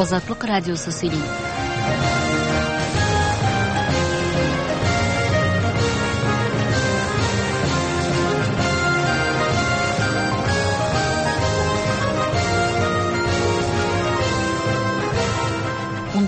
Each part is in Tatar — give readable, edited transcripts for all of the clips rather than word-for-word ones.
Азатлык радиосы сөйли.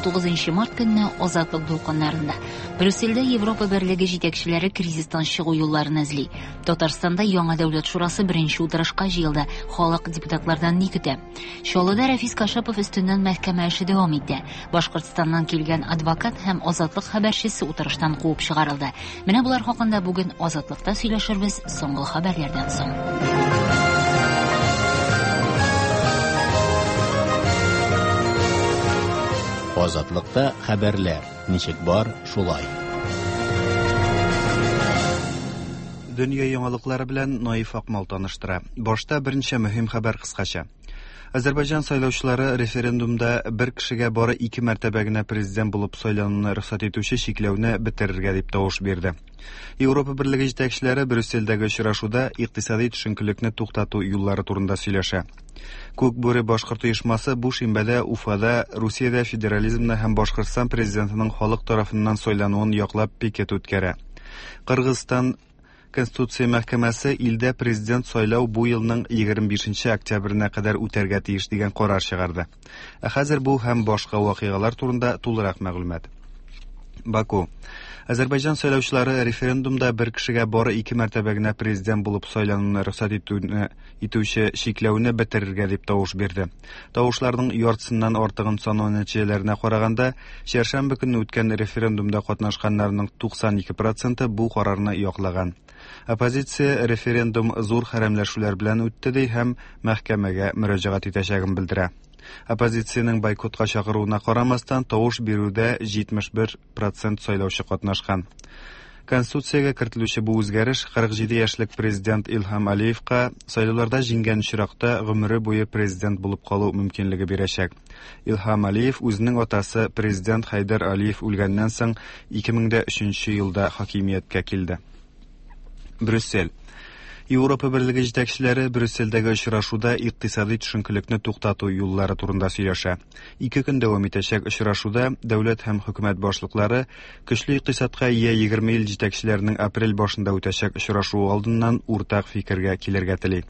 19 март көнне Азатлык дулкыннарында Брюссельдә Европа Берлеге җитәкчеләре кризистан чыгу юлларын эзли. Татарстанда яңа дәүләт шурасы беренче утырышка җыелды. Халык депутатлардан ни көтә? Чаллыда Рәфис Кашапов өстеннән мәхкәмә эше дәвам итә. Башкортстаннан килгән адвокат һәм Азатлык хәбәрчесе утырыштан куып чыгарылды. Менә болар хакында бүген Азатлыкта сөйләшербез соңгы хәбәрләрдән соң. Азатлыкта хәбәрләр ничек бар, шулай. Дөнья яңалыклары белән Наиф Акмал таныштыра. Башта берничә мөһим хәбәр кыскача. Азәрбайҗан сайлаучылары референдумда бер кешегә бары ике мәртәбә генә президент булып сайлануны рөхсәт итүче чикләүне бетерергә дип тавыш бирде. Европа Берлеге җитәкчеләре Брюссельдәге очрашуда икътисади төшенкелекне туктату юллары турында сөйләшә. Күк бүре башкорт оешмасы бу шимбәдә Уфада Русиядә федерализмны һәм Башкортстан президентының халык тарафыннан сайлануын яклап пикет үткәрә. Кыргызстан Конституция мәхкәмәсе илдә президент сайлау бу елның 25 октябренә кадәр үтәргә тиеш дигән карар чыгарды. Ә хәзер бу һәм башка вакыйгалар турында тулырак мәгълүмат. Баку. Азәрбайҗан сайлаучылары референдумда бер кешегә бары ике мәртәбә генә президент булып сайлануны рөхсәт итүне итүче чикләүне бетерергә дип тавыш бирде. Тавышларның яртысыннан артыгын санау нәтиҗәләренә караганда, чәршәмбе көнне үткән референдумда катнашканнарның 92 проценты бу карарны яклаган. Оппозиция референдум зур хәрәмләшүләр белән үтте ди һәм мәхкәмәгә мөрәҗәгать итәчәген белдерә. Оппозициянең бойкотка чакыруына карамастан, тавыш бирүдә 71 процент сайлаучы катнашкан. Конституциягә кертелүче бу үзгәреш 47 яшьлек президент Илһам Алиевка сайлауларда җиңгән очракта гомере буе президент булып калу мөмкинлеге бирәчәк. Илһам Алиев үзенең атасы президент Хәйдәр Алиев үлгәннән соң 2003 елда хакимияткә килде. Брюссель. Европа Берлеге җитәкчеләре Брюссельдәге очрашуда икътисади төшенкелекне туктату юллары турында сөйләшә. Ике көн дәвам итәчәк очрашуда дәүләт һәм хөкүмәт башлыклары көчле икътисадка ия 20 ил җитәкчеләренең апрель башында үтәчәк очрашуы алдыннан уртак фикергә килергә тели.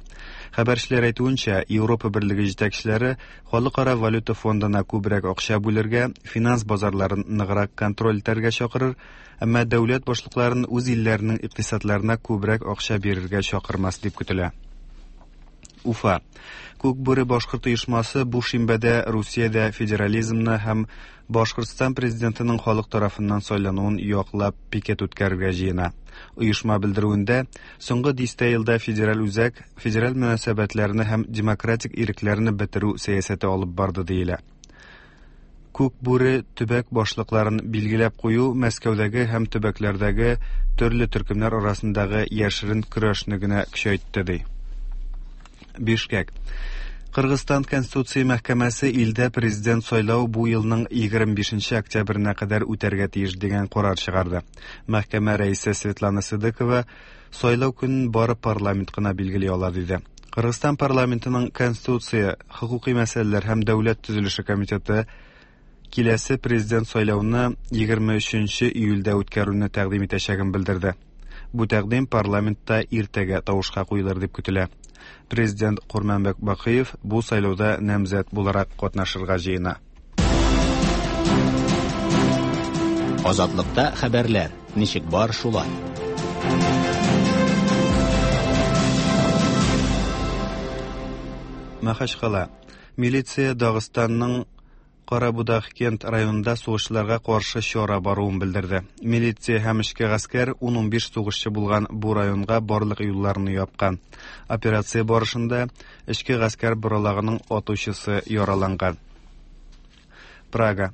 Хәбәрчеләр әйтүенчә, Европа Берлеге җитәкчеләре Халыкара валюта фондына күбрәк акча бүлергә, финанс базарларын ныграк контроль итәргә чакырыр, Әмма дәүләт башлыкларын үз илләренең икътисадларына күбрәк акча бирергә чакырмас дип көтелә. Уфа. Күк бүре башкорт оешмасы бу шимбәдә Русиядә федерализмны һәм Башкортстан президентының халык тарафыннан сайлануын яклап пикет үткәрергә җыена. Оешма белдерүендә, соңгы дистә елда федераль үзәк федераль мөнәсәбәтләрне һәм демократик ирекләрне бетерү сәясәте алып барды диелә. Күк бүре төбәк башлыкларын билгеләп кую Мәскәүдәге һәм төбәкләрдәге төрле төркемнәр арасындагы яшерен көрәшне генә көчәйтте, ди. Бишкек. Кыргызстан Конституция мәхкәмәсе илдә президент сайлау бу елның 25 октябренә кадәр үтәргә тиеш дигән карар чыгарды. Мәхкәмә рәисе Светлана Сыдыкова сайлау көнен бары парламент кына билгели ала диде. Кыргызстан парламентының Конституция, хокукый мәсьәләләр һәм дәүләт төзелеше комитеты киләсе президент сайлауны 23 июльдә үткәрүне тәкъдим итәчәген белдерде. Бу тәкъдим парламентта иртәгә тавышка куелыр дип көтелә. Президент Курманбек Бакыев бу сайлауда намзәт буларак катнашырга җыена. Азатлыкта хәбәрләр ничек бар шулай. Махачкала. Милиция Дагыстанның Карабудахкент районында сугышчыларга каршы чара баруын белдерде. Милиция һәм эчке гаскәр 10-15 сугышчы булган бу районга барлык юлларны япкан. Операция барышында эчке гаскәр боралагының атучысы яраланган. Прага.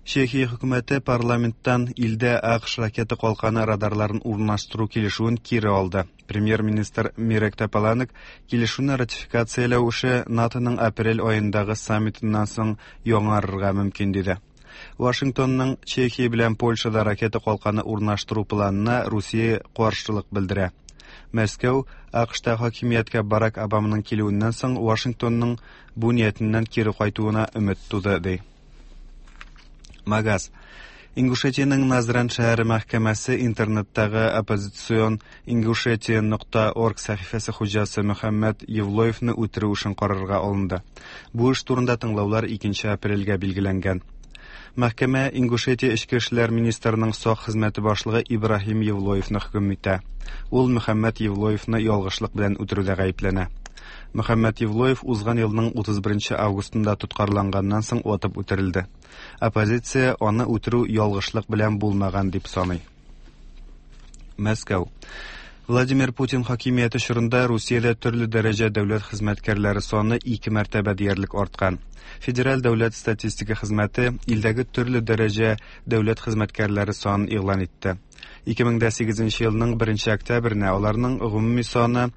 Чехия хөкүмәте парламенттан илдә АКШ ракета калканы радарларын урнаштыру килешүен кире алды. Премьер-министр Мирек Тополанек килешүне ратификацияләү эше НАТОның апрель аендагы саммитыннан соң яңарырга мөмкин диде. Вашингтонның Чехия белән Польшада ракета калканы урнаштыру планына Русия каршылык белдерә. Мәскәү АКШта хакимияткә Барак Обаманың килүеннән соң Вашингтонның бу ниятеннән кире кайтуына өмет туды, ди. Магаз. Ингушетиянең Назран шәһәре мәхкәмәсе интернеттагы оппозицион Ingushetia.org сәхифәсе хуҗасы Мөхәммәд Евлоевны үтерү эшен карарга алынды. Бу эш турында тыңлаулар 2 апрельгә билгеләнгән. Мәхкәмә Ингушетия эчке эшләр министрының сак хезмәте башлыгы Ибраһим Евлоевны хөкем итә. Ул Мөхәммәд Евлоевны ялгышлык белән үтерүдә гаепләнә. Мөхәммәд Евлоев узган елның 31 августында тоткарланганнан соң атып үтерелде. Оппозиция аны үтерү ялгышлык белән булмаган дип саный. Мәскәү. Владимир Путин хакимияте чорында Русиядә төрле дәрәҗә дәүләт хезмәткәрләре саны ике мәртәбә диярлек арткан. Федераль дәүләт статистика хезмәте илдәге төрле дәрәҗә дәүләт хезмәткәрләре санын игълан итте. 2008 елның 1 октябренә аларның гомуми саны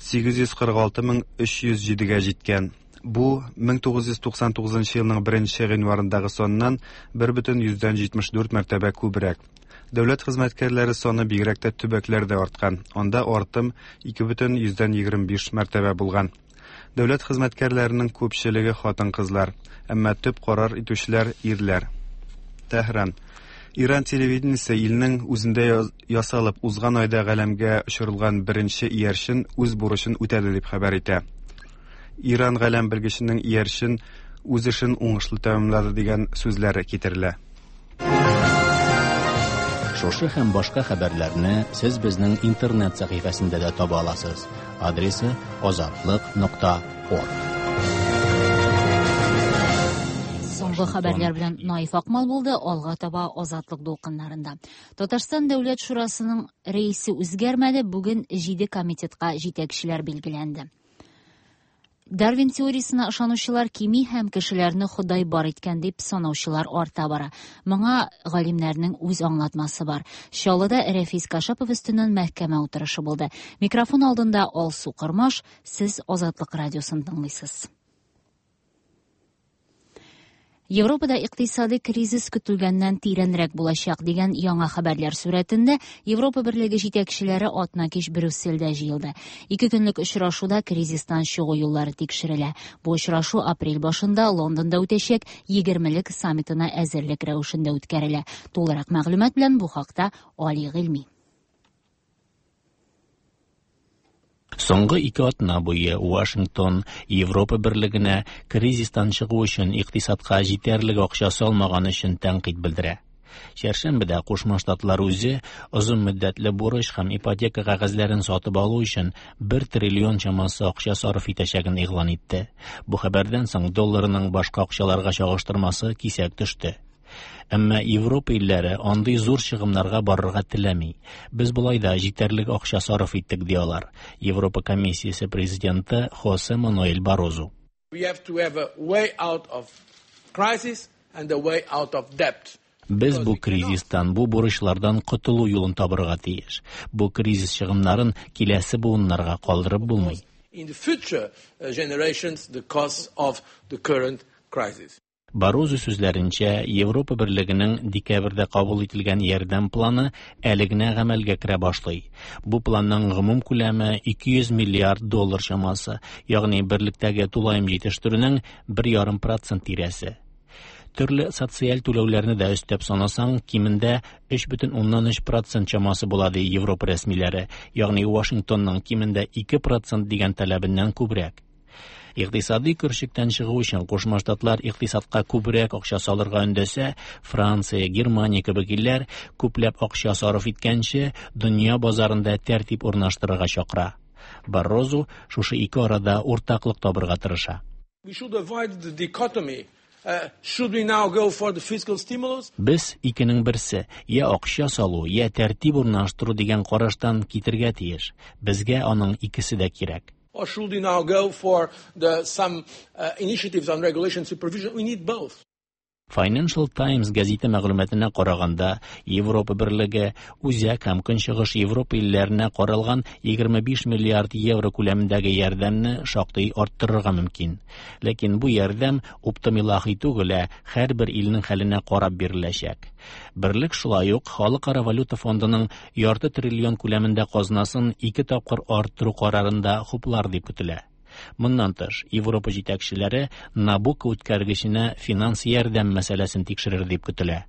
846 307-гә җиткән. Бу 1999 елның 1 гыйнварындагы саннан 1,74 мәртәбә күбрәк. Дәүләт хезмәткәрләре саны бигрәк тә төбәкләрдә арткан. Анда артым 2,25 мәртәбә булган. Дәүләт хезмәткәрләренең күпчелеге хатын-кызлар, әмма төп карар итүчеләр ирләр. Тәһран. Иран телевидениесе илнең үзендә ясалып узган айда галәмгә очырылган беренче иярчен үз бурычын үтәде дип хәбәр итә. Иран галәм белгеченең иярчен үз эшен уңышлы тәмамлады дигән сүзләре китерелә. Шушы һәм башка хәбәрләрне сез безнең интернет сәхифәсендә дә таба аласыз. Адресы azatliq.org. Соңгы хәбәрләр белән Наиф Акмал булды, алга таба Азатлык дулкыннарында. Татарстан Дәүләт Шурасының рәисе үзгәрмәде, бүген 7 комитетка җитәкчеләр билгеләнде. Дарвин теориясенә ышанучылар кими һәм кешеләрне Ходай бар иткән дип санаучылар арта бара. Моңа галимнәрнең үз аңлатмасы бар. Чаллыда Рәфис Кашапов өстеннән мәхкәмә утырышы булды. Микрофон алдында Алсу Кырмаш, сез Азатлык радиосын тыңлыйсыз. Европада икътисади кризис көтелгәннән тирәнрәк булачак дигән яңа хәбәрләр сурәтендә Европа Берлеге җитәкчеләре атна кич Брюссельдә җыелды. Ике көнлек очрашуда кризистан чыгу юллары тикшерелә. Бу очрашу апрель башында Лондонда үтәчәк 20лек саммитына әзерлек рәвешендә үткәрелә. Тулырак мәгълүмат белән бу хакта Али Гыйльми. Соңгы 2 атна буе Вашингтон Европа Берлегенә кризистан чыгу өчен икътисадка җитәрлек акча салмаган өчен тәнкыйть белдерә. Чәршәмбедә Кушма Штатлар үзе озын мөддәтле бурыч һәм ипотека кәгазьләрен сатып алу өчен 1 триллион чамасы акча сарыф итәчәген игълан итте. Бу хәбәрдән соң долларның башка акчаларга чагыштырмасы кисәк төште. Әмма Европа илләре андый зур чыгымнарга барырга теләми. Без болай да җитәрлек акча сарыф иттек, ди алар. Европа комиссиясе президенты Хосе Мануэль Барозу. We have to have a way out of crisis and a way out of debt. Без бу кризистан, бу бурычлардан котылу юлын табырга тиеш. Бу кризис чыгымнарын киләсе буыннарга калдырып булмый. In the future generations, the cost of the current crisis. Барозу сүзләренчә, Европа Берлегенең декабрьдә кабул ителгән ярдәм планы әле генә гамәлгә керә башлый. Бу планның гомум күләме 200 миллиард доллар чамасы, ягъни берлектәге тулаем җитештерүнең 1,5% тирәсе. Төрле социаль түләүләрне дә өстәп санасаң, кимендә 3,3% чамасы була, ди Европа рәсмиләре, ягъни Вашингтонның кимендә 2% дигән таләбеннән күбрәк. Икътисади көршектән чыгу өчен Кушма Штатлар икътисадка күбрәк акча салырга өндәсә, Франция, Германия кебек илләр күпләп акча сарыф иткәнче дөнья базарында тәртип урнаштырырга чакыра. Баррозу шушы ике арада уртаклык табырга тырыша. We should avoid the dichotomy. Should we now go for the fiscal stimulus? Без икенең берсе, я акча салу, я тәртип урнаштыру дигән караштан китергә тиеш. Безгә аның икесе дә кирәк. Or should we now go for the some initiatives on regulation supervision? We need both. Financial Times газеты мәгълүматына караганда, Европа Берлеге Үзәк һәм Көнчыгыш Европа илләренә каралган 25 миллиард евро күләмендәге ярдәмне шактый арттырырга мөмкин. Ләкин бу ярдәм оптом илаһи түгел, ә һәрбер илнең хәленә карап биреләчәк. Берлек шулай ук Халыкара валюта фондының ярты триллион күләмендә казнасын 2 тапкыр арттыру карарын да хуплар дип көтелә. Моннан тыш, Европа җитәкчеләре Набукко үткәргеченә финанс ярдәм мәсьәләсен тикшерер дип көтелә.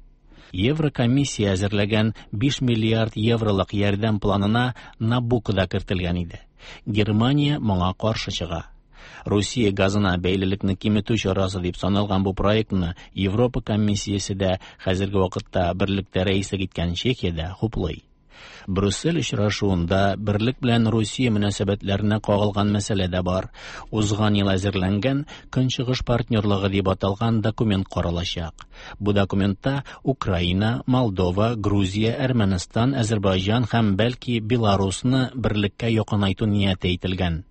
Еврокомиссия әзерләгән 5 миллиард евролык ярдәм планына Набукко да кертелгән иде. Германия моңа каршы чыга. Русия газына бәйлелекне киметү чарасы дип саналган бу проектны Европа комиссиясе дә, хәзерге вакытта берлектә рәислек иткән Чехия дә хуплый. Брюссель очрашуында берлек белән Русия мөнәсәбәтләренә кагылган мәсьәлә дә бар. Узган ел әзерләнгән Көнчыгыш партнерлыгы дип аталган документ каралачак. Бу документта Украина, Молдова, Грузия, Әрмәнстан, Әзербайҗан һәм бәлки Беларусны берлеккә якынайту нияте әйтелгән.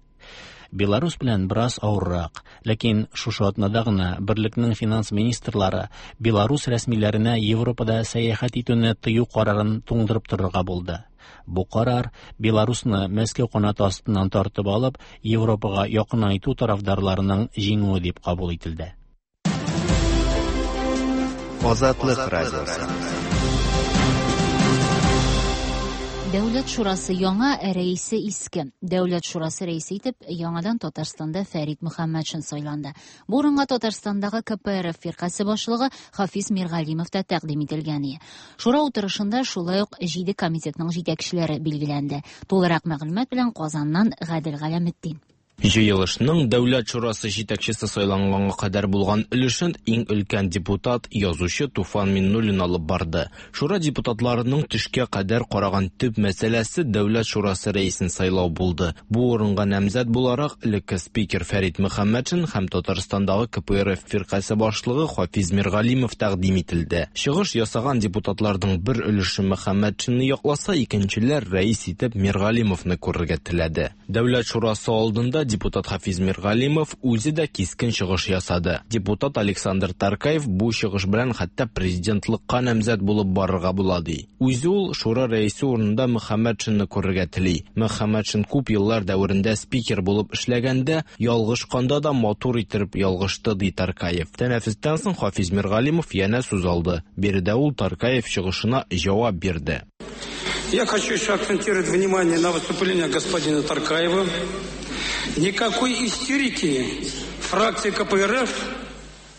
Беларус белән бераз авыррак, ләкин шушы атнада гына берлекнең финанс министрлары Беларус рәсмиләренә Европада сәяхәт итүне тыю карарын туңдырып торырга булды. Бу карар Беларусны Мәскәү канаты астыннан тартып алып, Европага якынайту тарафдарларының җиңүе дип кабул ителде. Азатлык радиосы. Дәүләт шурасы яңа, ә рәисе иске. Дәүләт шурасы рәисе итеп яңадан Татарстанда Фәрит Мөхәммәтшин сайланды. Бу урынга Татарстандагы КПРФ фиркасе башлыгы Хафиз Миргалимов та тәкъдим ителгән иде. Шура утырышында шулай ук җиде комитетның җитәкчеләре билгеләнде. Тулырак мәгълүмат белән Казаннан Гадел Галәметдин. Җыелышның Дәүләт шурасы җитәкчесе сайланганга кадәр булган өлешен иң өлкән депутат, язучы Туфан Миннуллин алып барды. Шура депутатларының төшкә кадәр караган төп мәсьәләсе Дәүләт шурасы рәисен сайлау булды. Бу урынга намзәт буларак элекке спикер Фәрит Мөхәммәтшин һәм Татарстандагы КПРФ фиркасе башлыгы Хафиз Миргалимов тәкъдим ителде. Чыгыш ясаган депутатларның бер өлеше Мөхәммәтшинны якласа, икенчеләр рәис итеп Миргалимовны күрергә теләде. Дәүләт шурасы алдында депутат Хафиз Миргалимов үзе дә кискен чыгыш ясады. Депутат Александр Таркаев бу чыгыш белән хәтта президентлыкка намзәт булып барырга була ди. Үзе ул шура рәисе урынында Мөхәммәтшинны күрергә тели. Мөхәммәтшин күп еллар дәверендә спикер булып эшләгәндә, ялгышканда да матур иттереп ялгышты, ди Таркаев. Тәнәфестән соң Хафиз Миргалимов янә сүз алды. Биредә ул Таркаев чыгышына җавап бирде. Я хочу еще акцентировать внимание на выступление господина Таркаева. Никакой истерики фракция КПРФ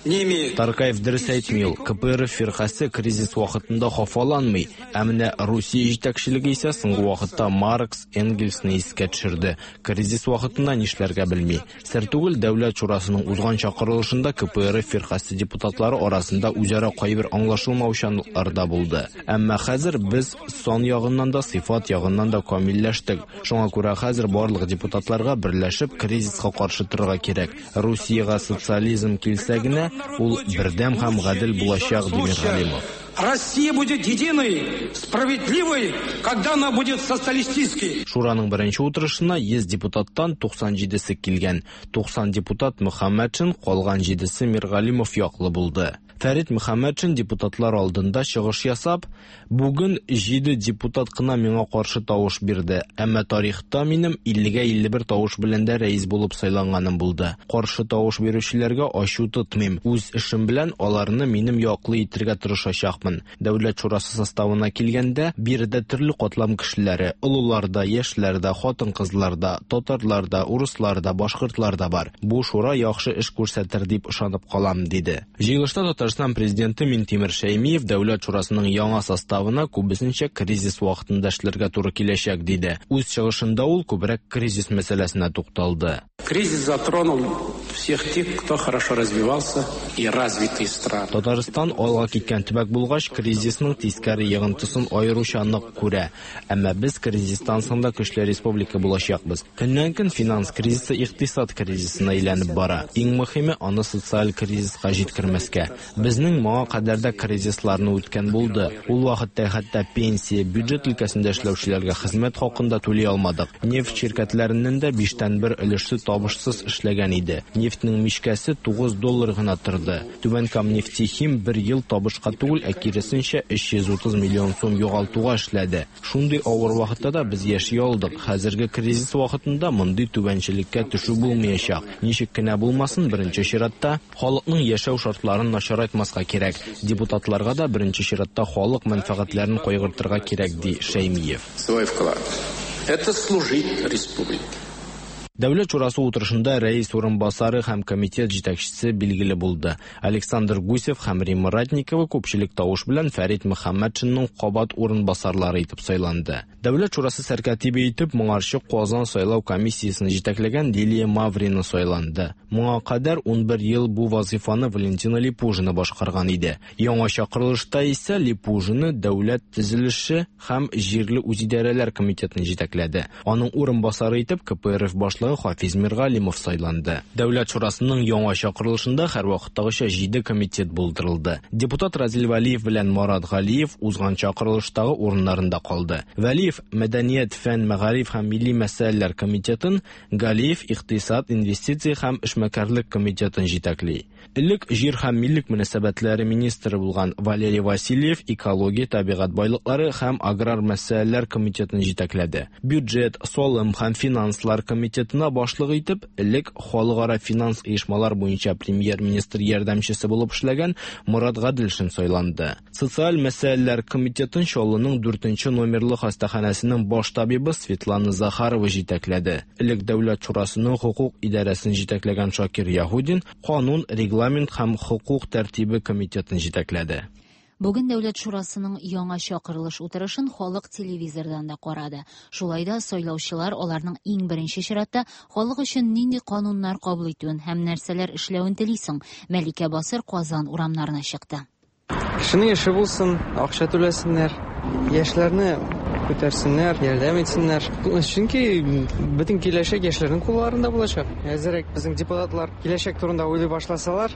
не имеет. Таркаев дөрес әйтми ул. КПРФ фиркасе кризис вакытында хафаланмый. Ә менә Русия җитәкчелеге исә соңгы вакытта Маркс, Энгельсны искә төшерде. Кризис вакытында нишләргә белми. Сер түгел, Дәүләт шурасының узган чакырылышында КПРФ фиркасе депутатлары арасында үзара кайбер аңлашылмаучанлыклар да булды. Әмма хәзер без сан ягыннан да, сыйфат ягыннан да камилләштек. Шуңа күрә хәзер барлык депутатларга берләшеп кризиска каршы торырга кирәк. Русиягә социализм килсә генә, ул бердәм һәм гадел булачак, ди Миргалимов. Россия будет единой, справедливой, когда она будет социалистической. Шураның беренче утырышына 100 депутаттан 97-се килгән. 90 депутат Мөхәммәтшин, калган 7-се Миргалимов яклы булды. Фәрит Мөхәммәтшин депутатлар алдында чыгыш ясап, бүген 7 депутат кына миңа каршы тавыш бирде. Әмма тарихта минем 50-гә 51 тавыш белән дә рәис булып сайланганым булды. Каршы тавыш бирүчеләргә ачу тотмыйм. Үз эшем белән аларны минем яклы итергә тырышачакмын. Дәүләт шурасы составына килгәндә, биредә төрле катлам кешеләре, олылар да, яшьләр дә, хатын-кызлар да, татарлар да, урыслар да, башкортлар да бар. Бу шура яхшы эш күрсәтер дип ышанып калам, диде. Җыелышта Татарстан президенты Минтимер Шәймиев Дәүләт шурасының яңа составына күбесенчә кризис вакытында эшләргә туры киләчәк, диде. Үз чыгышында ул күбрәк кризис мәсьәләсенә тукталды. Кризис затронул всех тех, кто хорошо развивался и развитые страны. Татарстан алга киткән төбәк булгач, кризисның тискәре йогынтысын аеруча нык күрә. Әмма без кризистан соң да көчле республика булачакбыз. Көннән-көн финанс кризисы икътисад кризисына әйләнеп бара. Иң мөһиме аны социаль кризиска җиткермәскә. Безнең моңа кадәр дә кризисларны үткән булды. Ул вакытта хәтта пенсия, бюджет өлкәсендә эшләүчеләргә хезмәт хакын да түли алмадык. Нефть ширкәтләреннән дә 1/5 өлеше табышсыз эшләгән иде. Нефтьнең мичкәсе 9 доллар гына торды. Түбән Кам нефтехим бер ел табышка түгел, ә киресенчә 330 миллион сум югалтуга эшләде. Шундый авыр вакытта да без яши алдык. Хәзерге кризис вакытында мондый түбәнчелеккә төшү булмаячак. Ничек кенә булмасын, беренче чиратта халыкның яшәү шартларын начарайтмаска кирәк. Депутатларга да беренче чиратта халык мәнфәгатьләрен кайгыртырга кирәк, ди Шәймиев. Свой вклад. Это служить республике. Дәүләт шурасы утырышында рәис урынбасары һәм комитет җитәкчесе билгеле булды. Александр Гусев һәм Римма Ратникова күпчелек тавыш белән Фәрит Мөхәммәтшинның кабат урынбасарлары итеп сайланды. Дәүләт шурасы сәркатибе итеп моңарчы Казан сайлау комиссиясен җитәкләгән Лилия Маврина сайланды. Моңа кадәр 11 ел бу вазифаны Валентина Липужина башкарган иде. Яңа чакырылышта исә Липужина дәүләт төзелеше һәм җирле үзидарәләр комитетын җитәкләде. Аның урынбасары итеп КПРФ башлыгы Хафиз Миргалимов сайланды. Дәүләт шурасының яңа чакырылышында һәрвакыттагыча 7 комитет булдырылды. Депутат Разил Вәлиев белән Марат Галиев узган чакырылыштагы урыннарында калды. Вәлиев Мәдәният, фән, мәгариф һәм милли мәсьәләләр комитетын, Галиев Икътисад, инвестиция һәм эшмәкәрлек комитетын җитәкли. Элек җир һәм милек мөнәсәбәтләре министры булган Валерий Васильев экология, табигать байлыклары һәм аграр мәсьәләләр комитетын җитәкләде. Бюджет, салым һәм финанслар комитетына башлык итеп, элек халыкара финанс оешмалар буенча премьер-министр ярдәмчесе булып эшләгән Мурат Гаделшин сайланды. Социаль мәсьәләләр комитетын Чаллының 4 номерлы хастаханәсенең баш табибы Светлана Захарова җитәкләде. Элек Дәүләт шурасының хокук идарәсен җитәкләгән Шакир Яһудин канун, регламент һәм хокук тәртибе комитетын җитәкләде. Бүген Дәүләт шурасының яңа чакырылыш утырышын халык телевизордан да карады. Шулай да сайлаучылар аларның иң беренче чиратта халык өчен нинди кануннар кабул итүен һәм нәрсәләр эшләвен тели соң? Мәликә Басыр Казан урамнарына чыкты. Кешенең эше булсын, акча түләсеннәр, яшьләрне күтәрсеннәр, ярдәм итсеннәр. Чөнки бөтен киләчәк яшьләрнең кулларында булачак. Әзерәк безнең депутатлар киләчәк турында уйлый башласалар,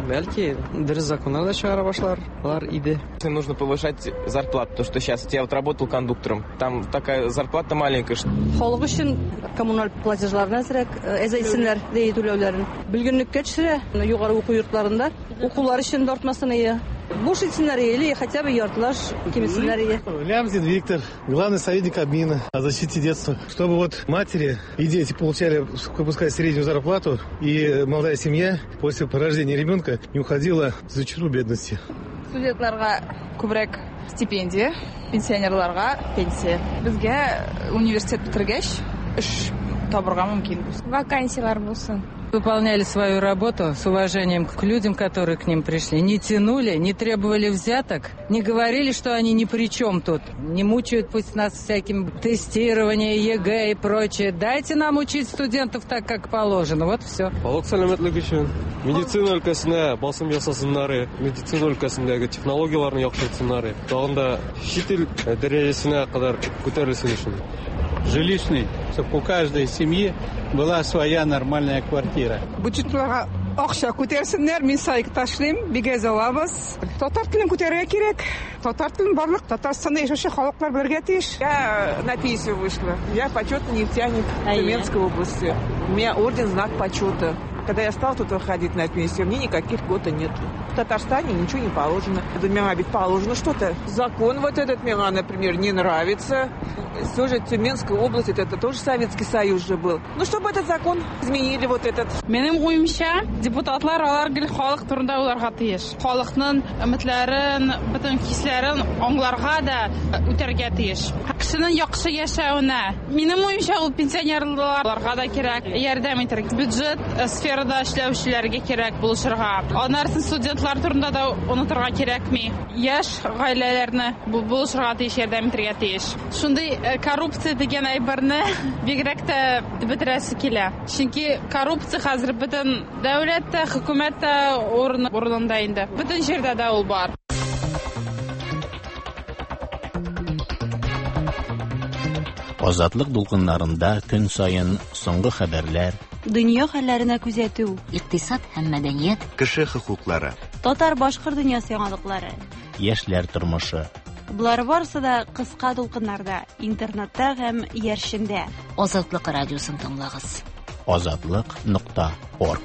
бәлки дөрес законнар да чыгара башларлар иде. Нужно повышать зарплату, то что сейчас я вот работал кондуктором, там такая зарплата маленькая. Халык өчен коммуналь платежларны әзрәк әзәйтсеннәр, ди түләүләрен. Бөлгенлеккә төшерә, югары уку йортларында укулар өчен дә артмасын ие. Буш итсеннәр или хотя бы яртылаш киметсеннәр ие. Лямзин Виктор, главный советник Кабмина о защите детства. Чтобы вот матери и дети получали, пускай, среднюю зарплату, и молодая семья после рождения ребенка не уходила за черту бедности. Студентларга күбрәк стипендия, пенсионерларга пенсия. Безгә университет бетергәч эш табырга мөмкин. Вакансиялар булсын. Выполняли свою работу с уважением к людям, которые к ним пришли. Не тянули, не требовали взяток, не говорили, что они ни при чем тут. Не мучают пусть нас всяким тестированием, ЕГЭ и прочее. Дайте нам учить студентов так, как положено. Вот все. Халык сәламәтлеге өчен медицина өлкәсенә басым ясасыннар, медицина өлкәсендәге технологияләрне яхшыртсыннар, тагын да чит ил дәрәҗәсенә кадәр күтәрелсен өчен. Жилищный, чтобы у каждой семьи была своя нормальная квартира. Бюджетларга акча күтәрсеннәр, мин сайт ташлыйм, бик әз алабыз. Татар телен күтәрергә кирәк. Татар телен барлык Татарстанда яшәүче халыклар белергә тиеш. Я на пенсию вышла. Я почетный нефтяник Тюменской области. У меня орден «Знак почета». Когда я стала тут выходить на пенсию, мне никаких льгот нет. В Татарстане ничего не положено. Миңа ведь положено что-то. Закон вот этот мне, например, не нравится. Все же Тюменская область, это тоже Советский Союз же был. Ну, чтобы этот закон изменили вот этот. Минем уемча, депутатлар алар гел халык турында уйларга тиеш. Халыкның өметләрен, бөтен хисләрен аңларга да үтәргә тиеш. Кешенең яхшы яшәвенә. Минем уемча, ул пенсионерларга да кирәк, ярдәм итәргә. Бюджет сферада эшләүчеләргә кирәк булышырга. Аннары студентлар турында да онытырга кирәкми. Яшь гаиләләрне булышырга тиеш, ярдәм итәргә тиеш. Шундый коррупция дигән әйберне бигрәк тә бетерәсе килә. Чөнки коррупция хәзер бөтен дәүләттә, хөкүмәттә урынында инде. Бөтен җирдә дә ул бар. Азатлык дулкыннарында көн саен соңгы хәбәрләр, дөнья хәлләренә күзәтү, икътисад һәм мәдәният, кеше хокуклары, татар-башкорт дөньясы яңалыклары, яшьләр тормышы. Болар барысы да кыска дулкыннарда, интернетта һәм иярчендә. Азатлык радиосын тыңлагыз. Азатлык.орг.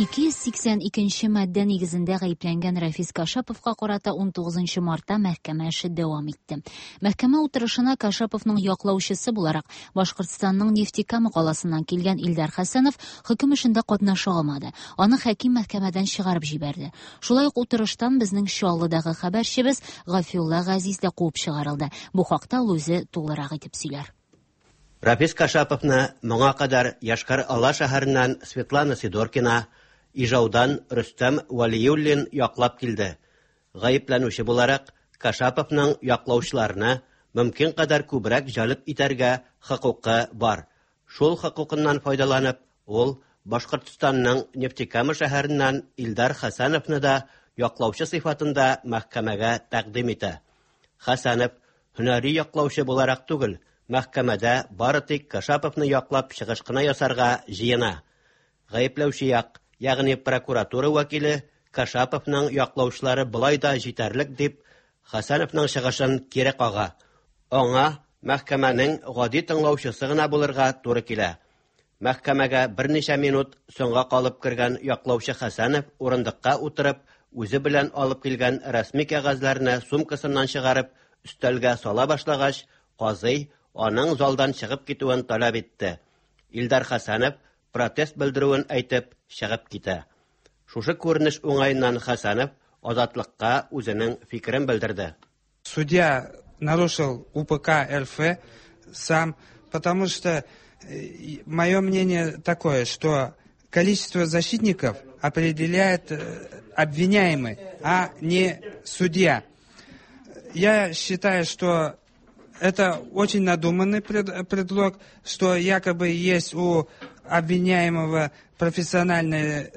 282 маддә нигезендә гаепләнгән Рафис Кашаповка карата 19 мартта мәхкәмә эше дәвам итте. Мәхкәмә утырышына Кашаповның яклаучысы буларак Башкортстанның Нефтекама каласыннан килгән Илдар Хәсәнов хөкем эшендә катнаша алмады. Аны хаким мәхкәмәдән чыгарып җибәрде. Шулай ук утырыштан безнең Чаллыдагы хәбәрчебез Гафиулла Газиз дә куып чыгарылды. Бу хакта ул үзе тулырак итеп сөйләр. Рафис Кашаповны моңа кадәр Йошкар-Ола шәһәреннән Светлана Сидоркина, Ижаудан Рөстәм Вәлиуллин яклап килде. Гаепләнүче буларак, Кашаповның яклаучыларны мөмкин кадәр күбрәк җәлеп итәргә хокукы бар. Шул хокукыннан файдаланып, ул Башкортстанның Нефтекама шәһәреннән Илдар Хәсәновны да яклаучы сыйфатында мәхкәмәгә тәкъдим итә. Хәсәнов һөнәри яклаучы буларак түгел, мәхкәмәдә бары тик Кашаповны яклап чыгыш кына ясарга җыена. Гаепләүче як, ягъни прокуратура вәкиле Кашаповның яклаучылары болай да җитәрлек дип, Хәсәновның чыгышын кире кага. Аңа мәхкәмәнең гади тыңлаучысы гына булырга туры килә. Мәхкәмәгә берничә минут соңга калып кергән яклаучы Хәсәнов урындыкка утырып, үзе белән алып килгән рәсми кәгазьләрне сумкасыннан чыгарып, өстәлгә сала башлагач, казый аның залдан чыгып китүен таләп итте. Илдар Хәсәнов протест белдерүен әйтеп, чыгып китә. Шушы күренеш уңаеннан Хәсәнов Азатлыкка үзенең фикерен белдерде. Судья нарушил УПК РФ сам, потому что мое мнение такое, что количество защитников определяет обвиняемый, а не судья. Я считаю, что это очень надуманный предлог, что якобы есть у обвиняемого профессиональные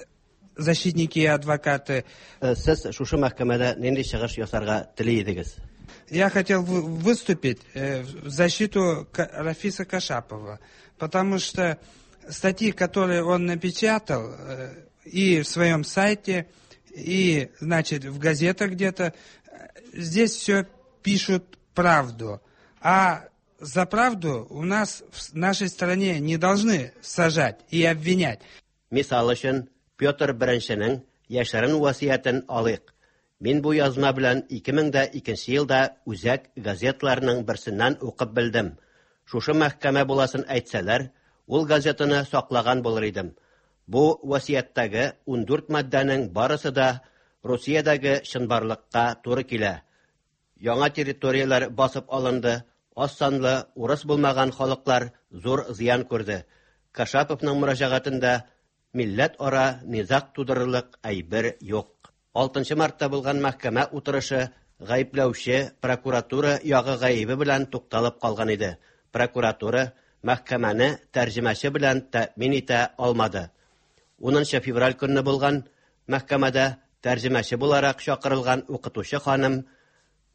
защитники и адвокаты. Сез шушы мәхкәмәдә нинди чыгыш ясарга тели идегез? Я хотел выступить в защиту Рафиса Кашапова, потому что статьи, которые он напечатал и в своем сайте, и, значит, в газетах где-то, здесь все пишут правду. А за правду у нас в нашей стране не должны сажать и обвинять. Мисал өчен, Петр I яшерен васыятен алыйк. Мин бу язма белән 2002 елда үзәк газетларның берсеннән укып белдем. Шушы мәхкәмә буласын әйтсәләр, ул газетаны саклаган булыр идем. Бу васыятьтәге 14 маддәнең барысы да Русиядәге чынбарлыкка туры килә. Яңа территорияләр басып алынды, аз санлы урыс булмаган халыклар зур зыян күрде. Кашаповның мөрәҗәгатендә милләт ара низаг тудырырлык әйбер юк. 6 мартта булган мәхкәмә утырышы гаепләүче прокуратура ягы гаебе белән тукталып калган иде. Прокуратура мәхкәмәне тәрҗемәче белән тәэмин итә алмады. 10 февраль көнне булган мәхкәмәдә тәрҗемәче буларак чакырылган укытучы ханым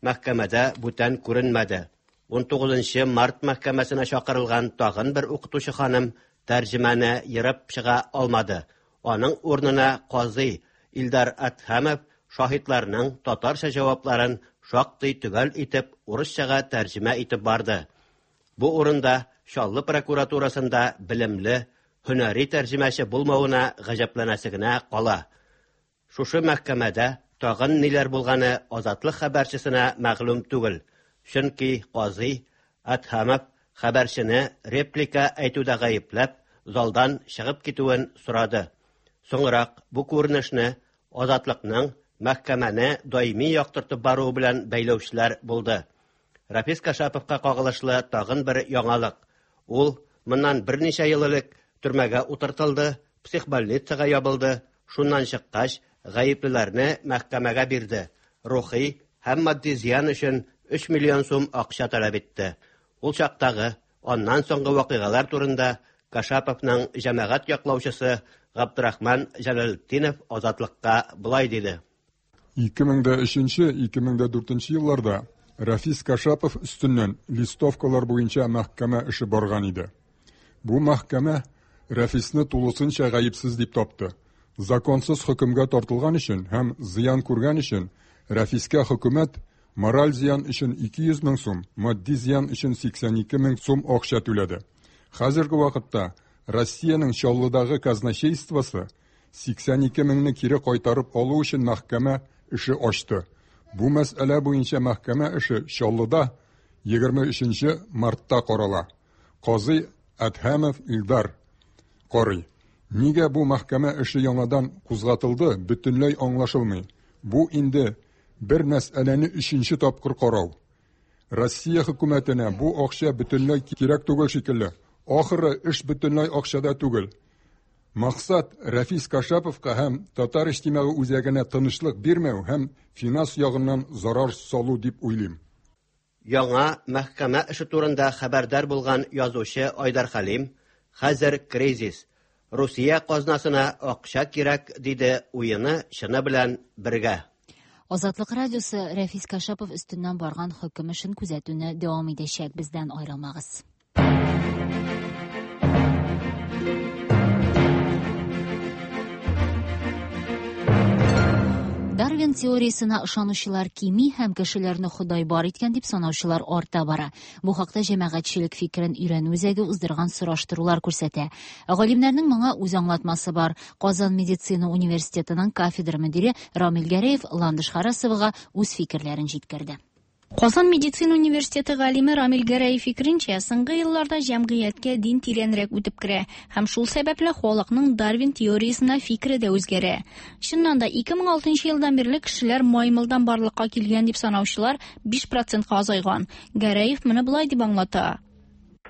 мәхкәмәдә бүтән күренмәде. 19 март мәхкәмәсенә чакырылган тагын бер укытучы ханым тәрҗемәне ерып чыга алмады. Аның урынына казый Илдар Әдһәмов шаһитларның татарча җавапларын шактый төгәл итеп урысчага тәрҗемә итеп барды. Бу урында Чаллы прокуратурасында белемле, һөнәри тәрҗемәче булмавына гаҗәпләнәсе генә кала. Шушы мәхкәмәдә тагын ниләр булганы Азатлык хәбәрчесенә мәгълүм түгел, чөнки казый Әдһәмов хәбәрчене реплика әйтүдә гаепләп, залдан чыгып китүен сорады. Соңрак бу күренешне Азатлыкның мәхкәмәне даими яктыртып баруы белән бәйләүчеләр булды. Рафис Кашаповка кагылышлы тагын бер яңалык. Ул моннан берничә ел элек төрмәгә утыртылды, психбольницага ябылды. Шуннан чыккач, гаеплеләрне мәхкәмәгә бирде. Рухи һәм матди зыян өчен 3 миллион сум акча таләп итте. Ул чактагы, аннан соңгы вакыйгалар турында Кашаповның җәмәгать яклаучысы Габдрахман Җәләлетдинов Азатлыкка болай диде. 2003-2004 елларда Рафис Кашапов өстеннән листовкалар буенча мәхкәмә эше барган иде. Бу мәхкәмә Рафисны тулысынча гаепсез дип тапты. Законсыз хөкемгә тартылган өчен һәм зыян күргән өчен Рафискә хөкүмәт мораль зыян өчен 200 мең сум, матди зыян өчен 82 мең сум акча түләде. Хәзерге вакытта Россиянең Чаллыдагы казначействосы 82 меңне кире кайтарып алу өчен мәхкәмә эше ачты. Бу мәсьәлә буенча мәхкәмә эше Чаллыда 23 мартта карала. Казый Әдһәмов Илдар карый. Нигә бу мәхкәмә эше яңадан кузгатылды, бөтенләй аңлашылмый. Бу инде бер мәсьәләне өченче тапкыр карау. Россия хөкүмәтенә бу акча бөтенләй кирәк түгел шикелле. Ахыры эш бөтенләй акчада түгел. Максат Рәфис Кашаповка һәм Татар иҗтимагый үзәгенә тынычлык бирмәү һәм финанс ягыннан зарар салу дип уйлыйм. Яңа мәхкәмә эше турында хәбәрдар булган язучы Айдар Хәлим, Хәзер кризис, Русия казнасына акча кирәк, диде уены чыны белән бергә. Азатлык радиосы Рәфис Кашапов өстеннән барган хөкем эшен күзәтүне дәвам итәчәк. Бездән аерылмагыз. Дарвин теориясенә ышанучылар кими һәм кешеләрне Ходай бар иткән дип санаучылар арта бара. Бу хакта җәмәгатьчелек фикерен өйрәнү үзәге уздырган сораштырулар күрсәтә. Ә галимнәрнең моңа үз аңлатмасы бар. Казан медицина университетының кафедра мөдире Рамил Гәрәев Ландыш Харасовага үз фикерләрен җиткерде. Казан медицина университеты галиме Рамил Гәрәев фикеренчә, соңгы елларда җәмгыятькә дин тирәнрәк үтеп керә һәм шул сәбәпле халыкның Дарвин теориясенә фикере дә үзгәрә. Чыннан да, 2006 елдан бирле кешеләр маймылдан барлыкка килгән дип санаучылар 5 процентка азайган. Гәрәев моны болай дип аңлата.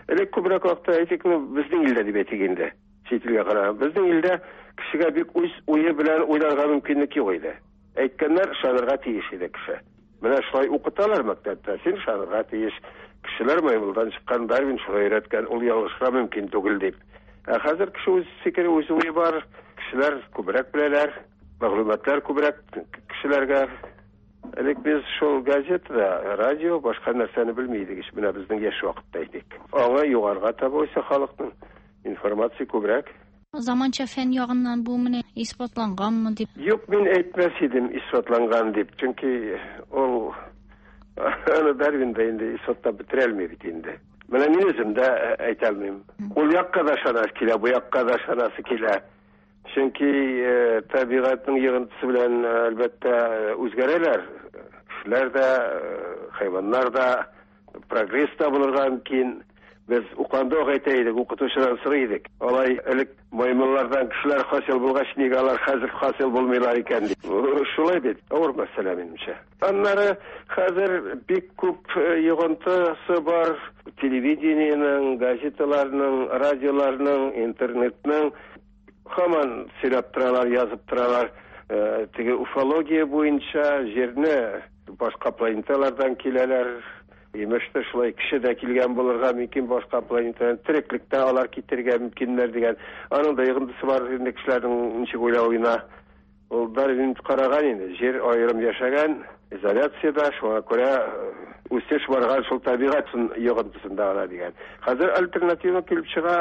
Элек күбрәк вакытта әйтик, ну, безнең илдә дип әйтик инде, чит илгә караганда. Безнең илдә кешегә бик үз уе белән уйларга мөмкинлек юк иде. Әйткәннәр ышанырга тиеш иде кеше. Менә шулай укыталар мәктәптә, син ышанырга тиеш. Кешеләр маймылдан чыккан, Дарвин шулай өйрәткән, ул ялгышырга мөмкин түгел дип. Ә хәзер кеше үз фикере, үз уе бар, кешеләр күбрәк беләләр, мәгълүматлар күбрәк кешеләргә. Элек без шул газетада, радио, башка нәрсәне белми идек ич, менә безнең яшь вакытта идек. Аңа югарыга таба үсә халыкның, информация күбрәк. Заманча фән ягыннан бу менә исбатланганмы дип? Юк, мин әйтмәс идем исбатланган дип, чөнки ул аны Дарвин да инде исбатлап бетерә алмый бит инде. Менә мин үзем дә әйтә алмыйм. Ул якка да ышанасы килә, бу якка да ышанасы килә. Чөнки табигатьнең йогынтысы белән, әлбәттә, үзгәрәләр. Кешеләр дә, хайваннар да, прогресс та булырга мөмкин. Без уканда ук әйтә идек, укытучыдан сорый идек. Алай элек маймыллардан кешеләр хасил булгач, нигә алар хәзер хасил булмыйлар икән дип. Шулай бит, авыр мәсьәлә минемчә. Аннары хәзер бик күп йогынтысы бар телевидениенең, газеталарның, радиоларның, интернетның. Һаман сөйләп торалар, язып торалар. Теге уфология буенча җирне башка планеталардан киләләр. Имештер, шулай кеше дә килгән булырга мөмкин башка планетадан, тереклек тә алар китерергә мөмкиннәр дигән. Аның да йогынтысы бар инде кешеләрнең ничек уйлавына. Ул Дарвин караган инде, җир аерым яшәгән, изоляциядә, шуңа күрә үсеш барган шул табигать йогынтысында гына дигән. Хәзер альтернатива килеп чыга,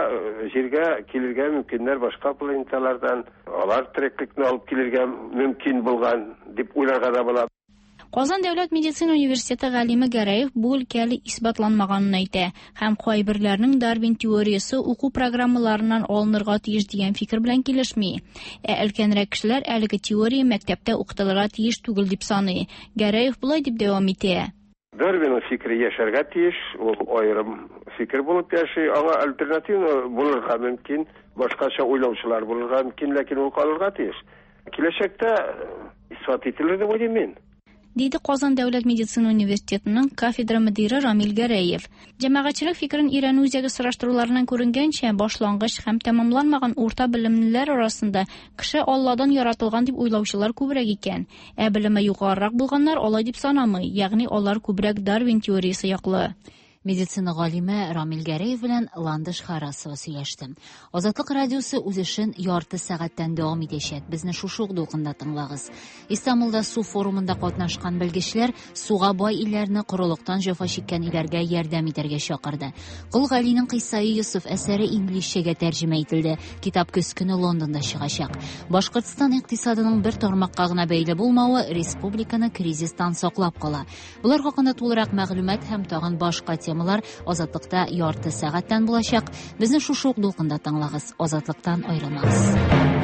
җиргә килергә мөмкиннәр башка планеталардан, алар тереклекне алып килергә мөмкин булган дип уйларга да була. Казан дәүләт медицина университеты галиме Гәрәев бу өлкә әле исбатланмаганын әйтә һәм кайберләрнең Дарвин теориясе уку программаларыннан алынырга тиеш дигән фикер белән килешми. Ә өлкәнрәк кешеләр әлеге теория мәктәптә укытылырга тиеш түгел дип саный. Гәрәев болай дип дәвам итә. Дарвинның фикере яшәргә тиеш, ул аерым фикер булып яши, аңа альтернатива булырга мөмкин, башкача уйлаучылар булырга мөмкин, ләкин ул калырга тиеш. Киләчәктә исбат ителер дип уйлыйм мин. Диде Казан дәүләт медицина университетының кафедра мөдире Рамил Гәрәев. Җәмәгатьчелек фикерен өйрәнү үзәге сораштыруларыннан күренгәнчә, башлангыч һәм тәмамланмаган урта белемлеләр арасында кеше Алладан яратылган дип уйлаучылар күбрәк икән. Ә белеме югарырак булганнар алай дип санамый, ягъни алар күбрәк Дарвин теориясе яклы. Медицина галиме Рамил Гәрәев белән Ландыш Харасова сөйләште. Азатлык радиосы үз эшен ярты сәгатьтән дәвам итәчәк. Безне шушы ук дулкында тыңлагыз. Истанбулда су форумында катнашкан белгечләр суга бай илләрне корылыктан җәфа чиккән илләргә ярдәм итәргә чакырды. Кол Галинең Кыйсаи Йосыф әсәре инглизчәгә тәрҗемә ителде. Китап көз көне Лондонда чыгачак. Башкортстан икътисадының бер тармакка гына бәйле булмавы республиканы кризистан саклап кала. Болар хакында тулырак мәгълүмат һәм тагын башка темалар Азатлыкта ярты сәгатьтән булачак. Безне шушы ук дулкында тыңлагыз. Азатлыктан аерылмагыз.